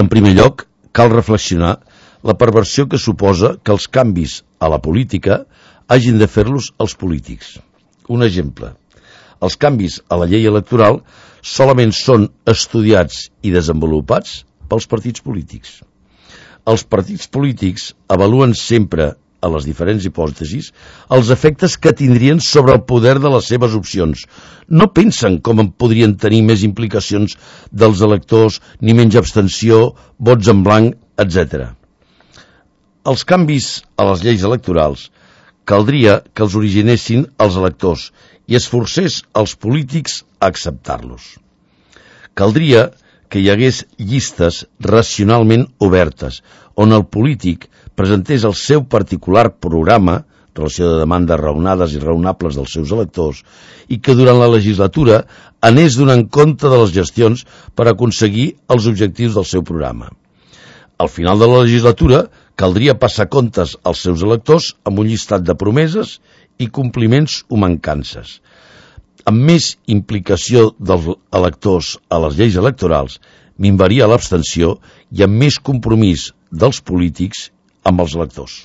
En primer lloc, cal reflexionar la perversió que suposa que els canvis a la política hagin de fer-los els polítics. Un exemple. Els canvis a la llei electoral solament són estudiats i desenvolupats pels partits polítics. Els partits polítics avaluen sempre, a les diferents hipòtesis, els efectes que tindrien sobre el poder de les seves opcions. No pensen com en podrien tenir més implicacions dels electors, ni menys abstenció, vots en blanc, etc. Els canvis a les lleis electorals caldria que els originessin els electors i es forcés els polítics a acceptar-los. Caldria que hi hagués llistes racionalment obertes, on el polític presentés el seu particular programa, relació de demandes raonades i raonables dels seus electors, i que durant la legislatura anés donant compte de les gestions per aconseguir els objectius del seu programa. Al final de la legislatura caldria passar comptes als seus electors amb un llistat de promeses i compliments o mancances. Amb més implicació dels electors a les lleis electorals, minvaria l'abstenció i amb més compromís dels polítics amb els electors.